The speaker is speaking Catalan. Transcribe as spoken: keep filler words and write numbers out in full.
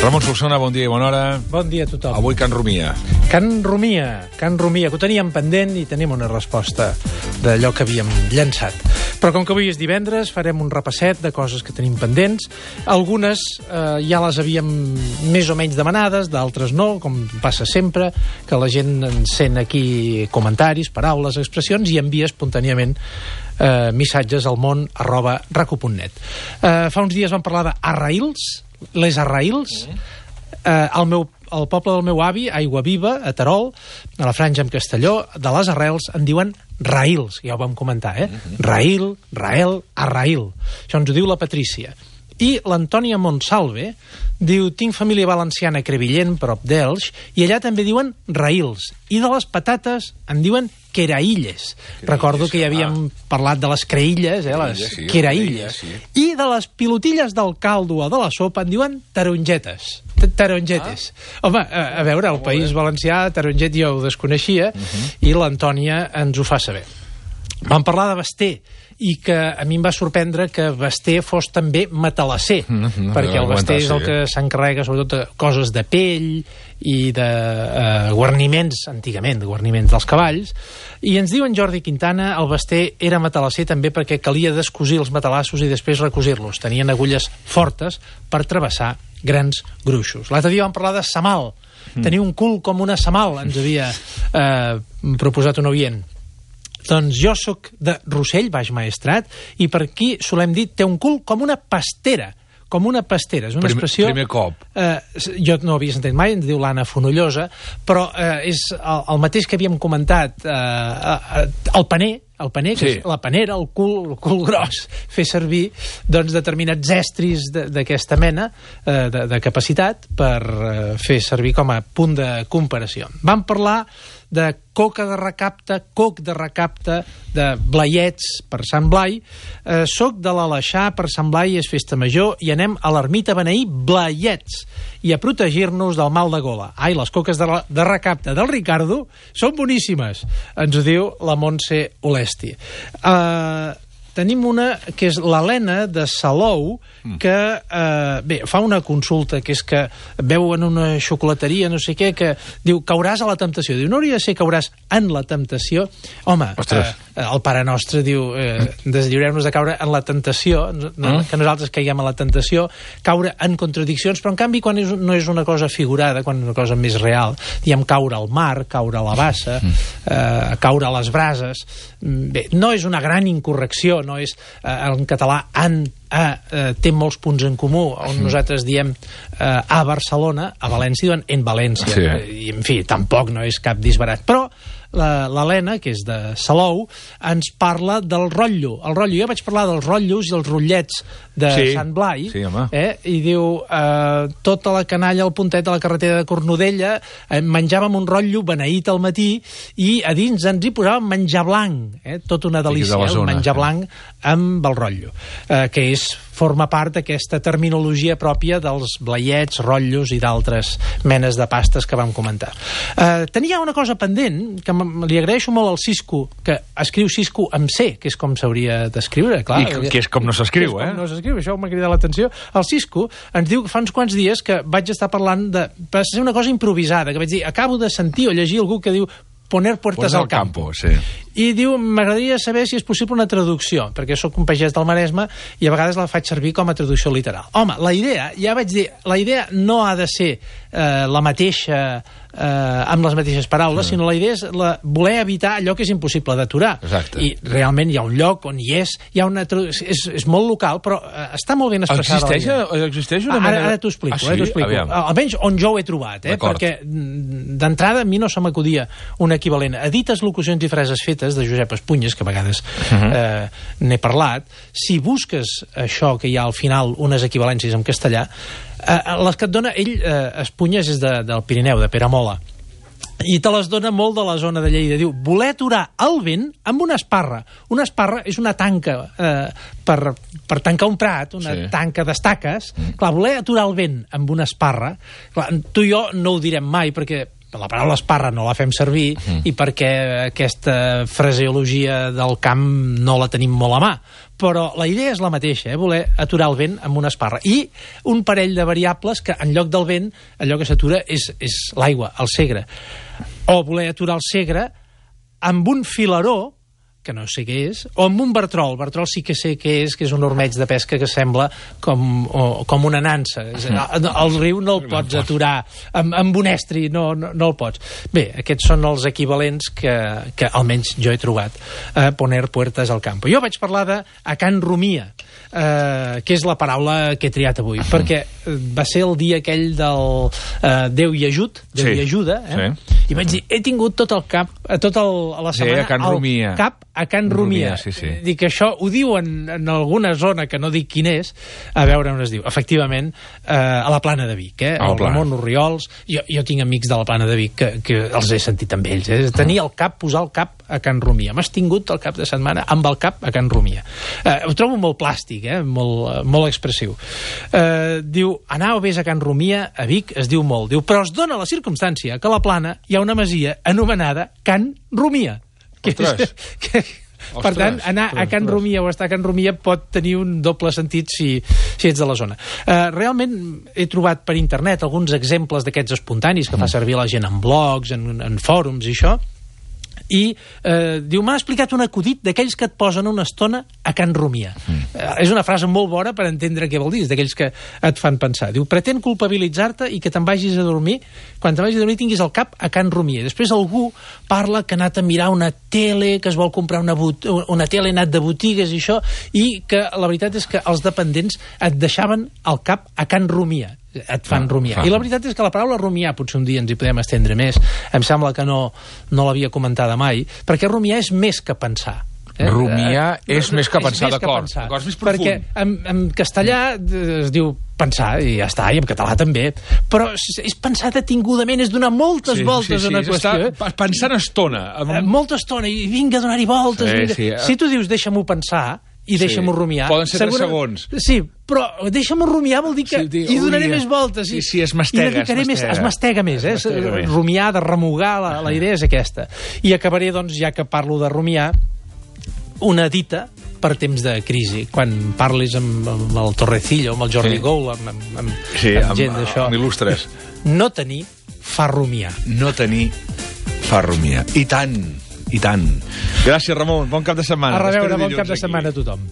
Ramon Solsona, bon dia i bona hora. Bon dia a tothom. Avui Can Rumia. Can Rumia, Can Rumia, que ho teníem pendent i tenim una resposta d'allò que havíem llançat. Però com que avui és divendres, farem un repasset de coses que tenim pendents. Algunes eh, ja les havíem més o menys demanades, d'altres no, com passa sempre, que la gent ens sent aquí comentaris, paraules, expressions i envia espontàniament eh, missatges al món arroba raco punt net. Eh, fa uns dies vam parlar d'arraïls, les arraïls. Eh, el, meu, el poble del meu avi, Aigua Viva, a Terol, a la Franja amb Castelló, de les arrels en diuen raïls, ja ho vam comentar, eh? Raïl, Rael, arraïl. Això ens ho diu la Patrícia. I l'Antònia Montsalve diu: tinc família valenciana a Crevillent, prop d'Elx, i allà també diuen raïls. I de les patates en diuen queraïlles. Recordo que ja havíem parlat de les creïlles, eh, les sí, queraïlles. sí. I de les pilotilles del caldo o de la sopa en diuen tarongetes. Tarongetes. Ah. Home, a, a veure, al País Valencià, taronget jo ho desconeixia, uh -huh. i l'Antònia ens ho fa saber. Vam parlar de Basté, i que a mi em va sorprendre que Basté fos també matalasser, mm -hmm, perquè el Basté és el que s'encarrega sobretot de coses de pell i de eh, guarniments, antigament, de guarniments dels cavalls, i ens diu en Jordi Quintana: el Basté era matalasser també perquè calia descosir els matalassos i després recosir-los. Tenien agulles fortes per travessar grans gruixos. L'altre dia vam parlar de Samal. Mm. Tenia un cul com una Samal, ens havia eh, proposat un oient. Doncs jo sóc de Rossell, Baix Maestrat, i per aquí solem dir té un cul com una pastera. Com una pastera. És una primer, expressió... Primer cop. Eh, jo no ho havia sentit mai, ens diu l'Anna Fonollosa, però eh, és el, el mateix que havíem comentat, eh, eh, el paner, el paner, que sí. És la panera, el cul, el cul gros, fer servir doncs, determinats estris d'aquesta mena eh, de, de capacitat per eh, fer servir com a punt de comparació. Vam parlar de coca de recapte, coc de recapte, de blaiets per Sant Blai. Eh, soc de l'Aleixar, per Sant Blai és festa major, i anem a l'ermita a beneir blaiets i a protegir-nos del mal de gola. Ai, les coques de, de recapte del Ricardo són boníssimes, ens ho diu la Montse Olesti. Eh... Tenim una que és l'Helena de Salou, que eh, bé, fa una consulta, que és que veu en una xocolateria, no sé què, que diu: cauràs a la temptació. Diu: no hauria de ser cauràs en la temptació? Home, eh, el Pare Nostre diu: eh, deslliureu-nos de caure en la tentació, no, mm. que nosaltres caiguem a la tentació, caure en contradiccions, però en canvi quan és, no és una cosa figurada, quan és una cosa més real, diem caure al mar, caure a la bassa, eh, caure a les brases. Bé, no és una gran incorrecció, no és, eh, en català en, a, eh, té molts punts en comú, on nosaltres diem eh, a Barcelona, a València diuen en València, sí. I en fi, tampoc no és cap disbarat, però l'Helena, que és de Salou, ens parla del rotllo. El rotllo, jo vaig parlar dels rotllos i els rotllets de sí, Sant Blai, sí, eh, i diu: eh, tota la canalla al puntet de la carretera de Cornudella, eh, menjàvem un rotllo beneït al matí i a dins ens hi posàvem menjar blanc, eh, tot una delícia, de zona, menjar blanc amb el rotllo, eh, que és forma part d'aquesta terminologia pròpia dels blaiets, rotllos i d'altres menes de pastes que vam comentar. Eh, tenia una cosa pendent, que li agraeixo molt al Cisco, que escriu Cisco amb C, que és com s'hauria d'escriure, clar. I que és com no s'escriu, eh? No s'escriu, això m'ha cridat l'atenció. El Cisco ens diu que fa uns quants dies que vaig estar parlant de... va ser una cosa improvisada, que vaig dir: acabo de sentir o llegir algú que diu poner puertas al campo. Sí. I diu: m'agradaria saber si és possible una traducció, perquè sóc un pagès del Maresme i a vegades la faig servir com a traducció literal. Home, la idea, ja vaig dir, la idea no ha de ser eh, la mateixa eh, amb les mateixes paraules, mm. sinó la idea és la, voler evitar allò que és impossible d'aturar. I realment hi ha un lloc on hi és, hi ha una és, és molt local, però eh, està molt ben expressada. Existeix, existeix una ah, mena... Ara, ara t'ho explico, ah, sí? eh, t'ho explico. Almenys on jo ho he trobat, eh, perquè d'entrada a mi no se m'acudia un equivalent. A dites locucions i frases fetes de Josep Espunyes, que a vegades uh-huh. eh, n'he parlat, si busques això que hi ha al final, unes equivalències en castellà, eh, les que et dona ell, eh, Espunyes és de, del Pirineu, de Peramola, i te les dona molt de la zona de Lleida. Diu: voler aturar el vent amb una esparra. Una esparra és una tanca eh, per, per tancar un prat, una sí. tanca d'estaques. Mm. Clar, voler aturar el vent amb una esparra, clar, tu i jo no ho direm mai, perquè la paraula esparra no la fem servir mm. i perquè aquesta fraseologia del camp no la tenim molt a mà. Però la idea és la mateixa, eh? Voler aturar el vent amb una esparra. I un parell de variables que en lloc del vent, allò que s'atura és, és l'aigua, el segre. O voler aturar el segre amb un filaró, que no sé què és, o amb un bartrol. El bartrol sí que sé què és, que és un ormeig de pesca que sembla com, o, com una nansa. El riu no el pots aturar amb, amb un estri, no, no, no el pots. Bé, aquests són els equivalents que, que almenys jo he trobat a poner puertas al campo. Jo vaig parlar de a Can Rumia, eh, que és la paraula que he triat avui, perquè va ser el dia aquell del eh, Déu i ajut, Déu sí. i ajuda, eh? Sí. I vaig dir, he tingut tot el cap, tot el, la setmana sí, a Can Rumia. cap a Can Rumia. Rumia sí, sí. Dic, això ho diuen en alguna zona que no dic quin és, a veure on es diu. Efectivament, eh, a la Plana de Vic, eh? El Ramon Orriols. Jo, jo tinc amics de la Plana de Vic que, que els he sentit amb ells. Eh? Tenir el cap, posar el cap a Can Rumia. M'has tingut el cap de setmana amb el cap a Can Rumia. Eh, ho trobo molt plàstic, eh? molt, molt expressiu. Eh, diu, anar o vés a Can Rumia, a Vic, es diu molt. Diu, però es dona la circumstància que a la Plana hi ha una masia anomenada Can Rumia. Ostres. Que, que, per tant, anar a Can Rumia o estar a Can Rumia pot tenir un doble sentit si, si ets de la zona. Uh, realment he trobat per internet alguns exemples d'aquests espontanis que fa servir la gent en blogs, en, en fòrums i això, i eh, diu, m'ha explicat un acudit d'aquells que et posen una estona a Can Rumia. Mm. Eh, és una frase molt bona per entendre què vol dir, d'aquells que et fan pensar. Diu, pretén culpabilitzar-te i que te'n vagis a dormir, quan te'n vagis a dormir tinguis el cap a Can Rumia. Després algú parla que ha anat a mirar una tele, que es vol comprar una, una tele, ha anat de botigues i això, i que la veritat és que els dependents et deixaven el cap a Can Rumia. Et fan ah, rumiar. Fa. I la veritat és que la paraula rumiar, potser un dia ens hi podem estendre més, em sembla que no, no l'havia comentada mai, perquè rumiar és més que pensar. Eh? Rumiar eh, és més que pensar, d'acord. És més profund. Perquè en, en castellà es diu pensar, i ja està, i en català també, però és pensar detingudament, és donar moltes sí, voltes sí, sí, a una qüestió. Està pensant estona. Amb... Eh, molta estona, i vinga a donar-hi voltes. Sí, vinga. Sí, eh? Si tu dius deixa-m'ho pensar, i deixa'm-ho sí. rumiar. Poden ser segura... tres segons. Sí, però deixa'm-ho rumiar vol dir que sí, dic, hi donaré ui, més voltes. I, sí, sí, es mastega, es mastega. Més, es mastega més, eh? Es mastega més. Rumiar, de remugar, la, la idea és aquesta. I acabaré, doncs, ja que parlo de rumiar, una dita per temps de crisi. Quan parlis amb, amb el Torrecillo, amb el Jordi sí. Goul, amb, amb, amb, sí, amb gent d'això... amb il·lustres. No tenir fa rumiar. No tenir fa rumiar. I tant, i tant. Gràcies, Ramon. Bon cap de setmana. A reveure, bon cap de setmana a tothom.